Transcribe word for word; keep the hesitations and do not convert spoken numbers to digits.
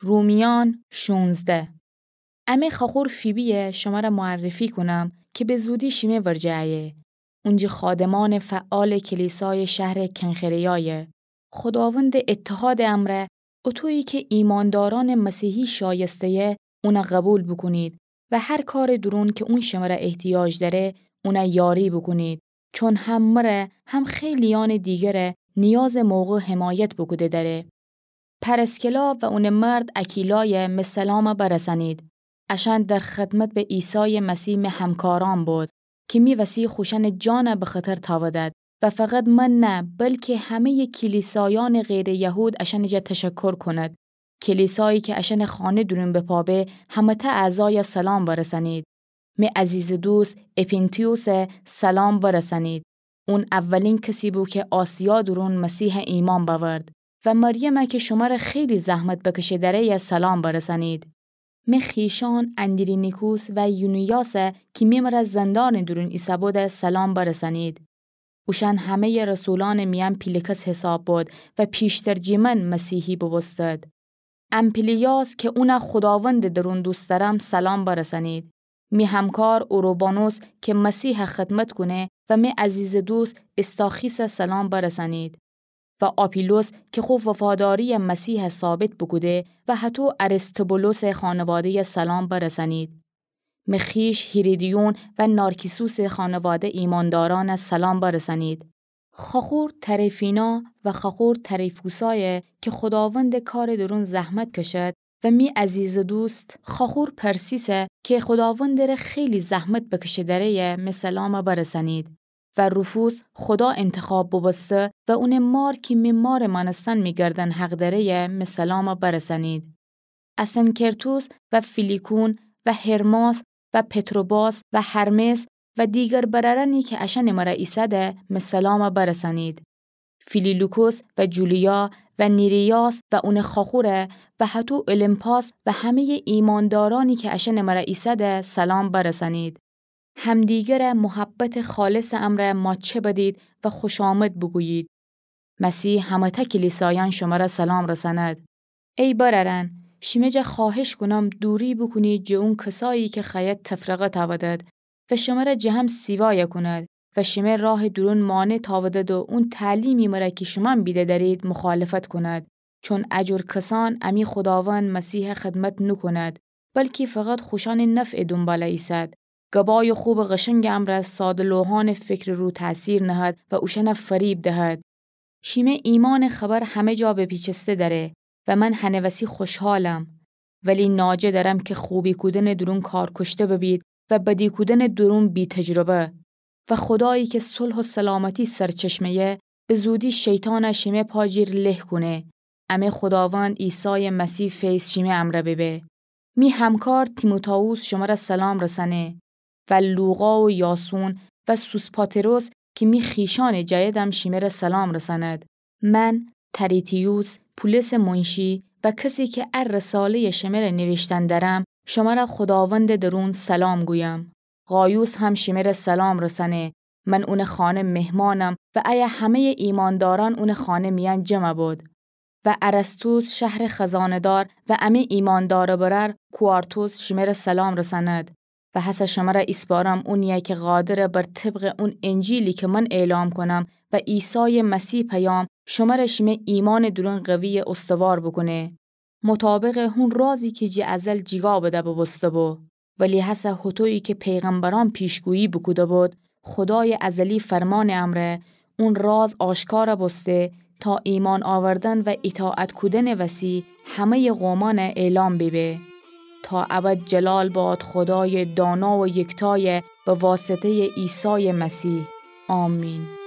رومیان شونزده. امه خوأخور فیبی‌یه شمره معرفی کونم کی به زودی شیمه ورجه ایه. اونجی خادمأنٚ فعالٚ کلیسایٚ شهرٚ کنخره‌یایه. خوداوندٚ اتحادٚ امرأ، اوطویی کی ایماندارأنٚ مسیحی شایسته‌یه، اونَ قوبیل بوکونید و هر کارٚ دورون کی اون شمره احتیاج دأره، اونَ یاری بوکونید. چون هم مره هم خیلیأنٚ دیگره نیازٚ موقع حمایت بوکوده دأره. پرسکلا و اونٚ مرد اکیلایه می سلامَ برسأنید. اشأن در خدمت به عیسایٚ مسیح می همکارأن بود کی می وسی خوشأنٚ جانَ به خطر تأودد و فقط من نه، بلکی همه‌یٚ کلیسایأنٚ غیرٚ یهود اشأنٚ جا تشکر کونید. کلیسایی کی اشأنٚ خانه دورون به پا به، همه‌تأ اعضایَ سلام برسأنید. می عزیزٚ دوست اپینتیوسَ سلام برسأنید. اون اولین کسی بو کی آسیا دورون مسیحَ ایمأن بأورد و مریمَ کی شمره خیلی زحمت بکشه دأره‌یَ سلام برسأنید. می خویشأن اندرونیکوس و یونیاس کی می مره زندانٚ دورون ایسه‌بودَ سلام برسأنید. اوشأن همه‌یٚ رسولأنٚ میأن پیلکس حساب بود و پیشتر جٚه من مسیحی بوبوستد. امپلیاس کی اونَ خوداوندٚ دورون دوست دأرم سلام برسأنید. می همکار اوروبانوس کی مسیحَ خدمت کونه و می عزیزٚ دوست استاخیسَ سلام برسأنید. و آپیلوس کی خو وفاداری‌یَ مسیحَ ثابت بوکوده و هطو ارستوبولوسٚ خانواده‌یَ سلام برسأنید. می خویش هیریدیون و نارکیسوسٚ خانواده ایماندارأنَ سلام برسأنید. خوأخور تریفینا و خوأخور تریفوسایَ کی خوداوندٚ کارٚ دورون زحمت کشد و می عزیزٚ دوست خوأخور پرسیسَ کی خوداوندٚره خیلی زحمت بکشه دأره‌یَ می سلامَ برسأنید. و روفوس خودا انتخاب بوبوسته و اونٚ مار کی می مارٚ مأنستن می گردن حق دأره‌یَ می سلامَ برسأنید. اسنکرتوس و فیلیکون و هرماس و پتروباس و هرمس و دیگر برأرأنی کی اشأنٚ مره ایسه‌ده می سلامَ برسأنید. فیلیلوکوس و جولیا و نیریاس و اونٚ خوأخوره و هطو اولیمپاس و همه‌یٚ ایماندارأنی کی اشأنٚ مره ایسه‌ده سلام برسأنید. همدیگره محبتٚ خالصٚ امرأ ماچه بدید و خوشامد بوگویید. مسیح همه‌تأ کلیسایأن شمره سلام رسأند. ای برأرأن، شیمه جا خوأهش کونم دوری بوکونید جٚه اون کسایی کی خوأید تفرقه تأودد و شمره جٚه هم سیوایَ کونید و شیمه راهٚ دورون مانع تأودد و اون تعلیمی مره کی شومأن بیده دأرید مخالفت کونید. چون ا جور کسأن امی خوداوند مسیحَ خدمت نوکوند، بلکی فقط خوشأنٚ نفعٚ دونباله ایسد. گبایٚ خوبٚ قشنگٚ امرأ ساده‌لوحانٚ فکرٚ رو تأثیر نهد و اوشأنَ فریب دهد. شیمه ایمأنٚ خبر همه جا بپیچسته دأره و من هنٚ وسی خوشحالم. ولی ناجه دأرم کی خوبی کودنٚ دورون کارکشته ببید و بدی کودنٚ دورون بی‌تجربه. و خودایی کی صلح و سلامتی سرچشمه‌یه، به زودی شیطانَ شیمه پا جیر له کونه. امه خوداوند عیسایٚ مسیح فیض شیمه امرأ ببه. می همکار تیموتائوس شمره سلام رسأنه و لوقا و یاسون و سوسپاتروس کی می خویشأنٚ جیدم شیمره سلام رسأند. من، تریتیوس، پولسٚ منشی و کسی کی ا رساله‌یَ شمره نیویشتن دأرم، شمره خوداوندٚ درون سلام گویم. غایوس هم شمره سلام رسأنه. من اونٚ خانه مهمانم و ایه همه‌یٚ ایماندارأن اونٚ خانه میأن جمع بود. و ارسطوس شهرٚ خزانه‌دار و امه ایماندارٚ برأر کوارتوس شمره سلام رسأند. و هسه شمره ایسپارم اونی‌یَ کی قادرٚ بر طبقٚ اون انجیلی کی من اعلام کونم و عیسایٚ مسیح پیام شمره شیمه ایمانٚ دورون قوی‌یَ استوار بوکونه. مطابقٚ هون رازی کی جٚه ازل جیگا بده بوبوسته بو. ولی هسه هوطویی کی پیغمبرأن پیشگویی بوکوده بود، خودایٚ ازلی فرمانٚ امرأ اون راز آشکار بوسته تا ایمأن آوردن و ایطاعت کودنٚ وسی همه‌یٚ قومأن اعلام بیبه. تا ابد جلال باد خودایٚ دانا و یکتایَ به واسطه‌یٚ عیسایٚ مسیح. آمین.